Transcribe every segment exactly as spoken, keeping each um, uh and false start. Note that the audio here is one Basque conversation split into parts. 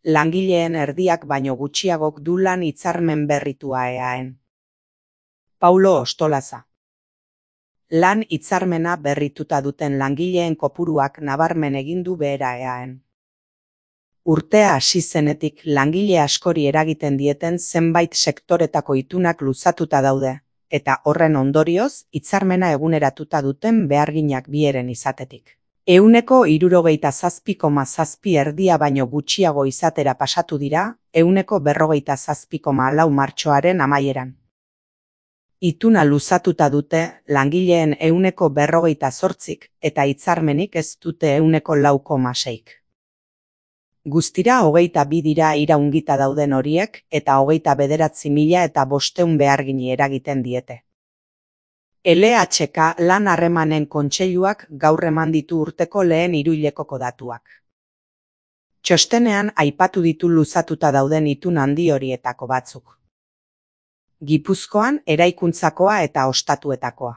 Langileen erdiak baino gutxiagok du lan hitzarmen berritua eaen. Paulo Ostolaza. Lan hitzarmena berrituta duten langileen kopuruak nabarmen egin du behera eaen. Urtea hasi zenetik langile askori eragiten dieten zenbait sektoretako itunak luzatuta daude, eta horren ondorioz hitzarmena eguneratuta duten beharginak bieren izatetik. Ehuneko hirurogeita zazpi koma zazpi erdia baino gutxiago izatera pasatu dira, ehuneko berrogeita zazpi koma lau martxoaren amaieran. Ituna luzatuta dute langileen ehuneko berrogeita zortzik eta hitzarmenik ez dute ehuneko lau koma seik. Guztira hogeita bi dira iraungita dauden horiek eta hogeita bederatzi mila eta bosteun behargini eragiten diete. L H K lan harremanen kontseiluak gaur eman ditu urteko lehen hiruhilekoko datuak. Txostenean aipatu ditu luzatuta dauden itun handi horietako batzuk. Gipuzkoan eraikuntzakoa eta ostatuetakoa.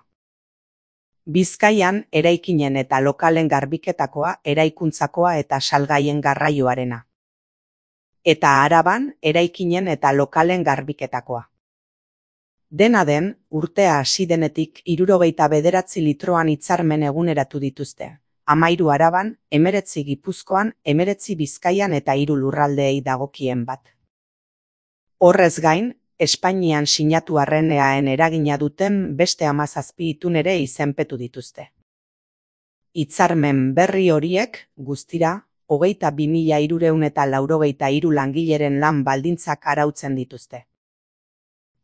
Bizkaian eraikinen eta lokalen garbiketakoa, eraikuntzakoa eta salgaien garraioarena. Eta Araban eraikinen eta lokalen garbiketakoa. Dena den, urtea hasi denetik hirurogeita bederatzi litroan hitzarmen eguneratu dituzte. Hamairu Araban, hemeretzi Gipuzkoan, hemeretzi Bizkaian eta hiru lurraldeei dagokien bat. Horrez gain, Espainian sinatu arren eaen eragina duten beste hamazazpi itun ere izenpetu dituzte. Hitzarmen berri horiek, guztira, hogeita bi mila hirurehun eta laurogeita hiru langileren lan baldintzak arautzen dituzte.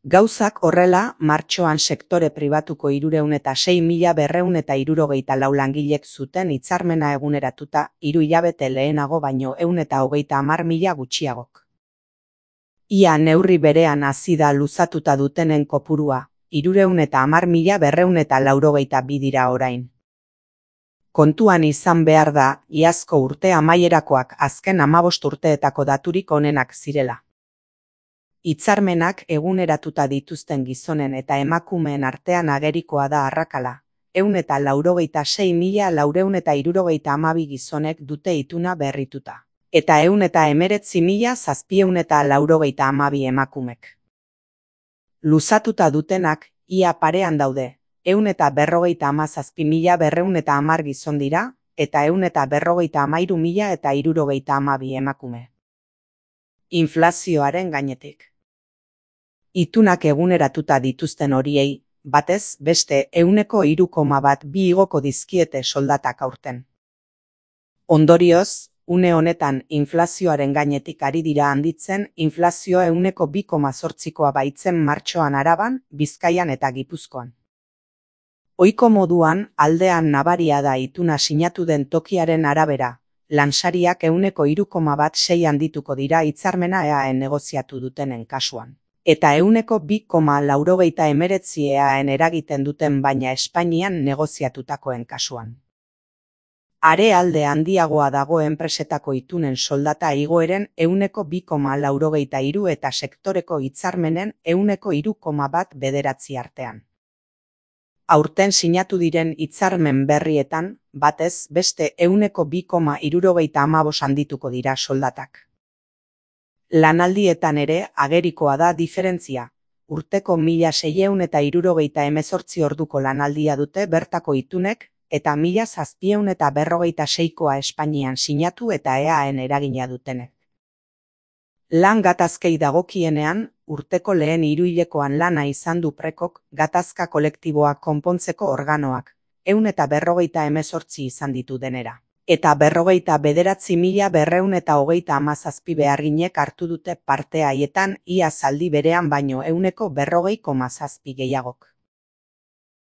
Gauzak horrela, martxoan sektore pribatuko hirurehun eta sei mila berrehun eta hirurogeita lau langilek zuten hitzarmena eguneratuta, hiru hilabete lehenago baino ehun eta hogeita hamar mila gutxiagok. Ia neurri berean hasi da luzatuta dutenen kopurua, hirurehun eta hamar mila berrehun eta laurogeita bi dira orain. Kontuan izan behar da, iazko urte amaierakoak azken hamabost urteetako daturik onenak zirela. Hitzarmenak eguneratuta dituzten gizonen eta emakumeen artean agerikoa da arrakala, ehun eta laurogeita sei mila laurehun eta hirurogeita hamabi gizonek dute ituna berrituta. Eta ehun eta hemeretzi mila zazpiehun eta laurogeita hamabi emakumek. Luzatuta dutenak, ia parean daude, ehun eta berrogeita hamazazpi mila berrehun eta hamar gizon dira, eta ehun eta berrogeita hamairu mila eta hirurogeita hamabi emakume. Inflazioaren gainetik. Itunak eguneratuta dituzten horiei, batez beste ehuneko hiru koma bat bi igoko dizkiete soldatak aurten. Ondorioz, une honetan inflazioaren gainetik ari dira handitzen, inflazioa ehuneko bi koma zortzikoa baitzen martxoan Araban, Bizkaian eta Gipuzkoan. Ohiko moduan, aldean nabaria da ituna sinatu den tokiaren arabera, lansariak ehuneko hiru koma bat sei handituko dira hitzarmena eaen negoziatu dutenen kasuan. Eta ehuneko bi koma laurogeita hemeretzi eaen eragiten duten baina Espainian negoziatutakoen kasuan. Are alde handiagoa dago enpresetako itunen soldata igoeren ehuneko bi koma laurogeita hiru eta sektoreko hitzarmenen ehuneko hiru koma bat bederatzi artean. Aurten sinatu diren hitzarmen berrietan, batez beste ehuneko bi koma hirurogeita hamabost handituko dira soldatak. Lanaldietan ere agerikoa da diferentzia. Urteko mila seiehun eta hirurogeita hemezortzi orduko lanaldia dute bertako itunek, eta mila zazpiehun eta berrogeita seikoa Espainian sinatu eta eaen eragina dutenek. Lan gatazkei dagokienean, urteko lehen hiruhilekoan lana izan du Prekok gatazka kolektiboak konpontzeko organoak, ehun eta berrogeita hemezortzi izan ditu denera. Eta berrogeita bederatzi mila berrehun eta hogeita hamazazpi beharginek hartu dute parte haietan ia zaldi berean baino ehuneko berrogei koma zazpi gehiagok.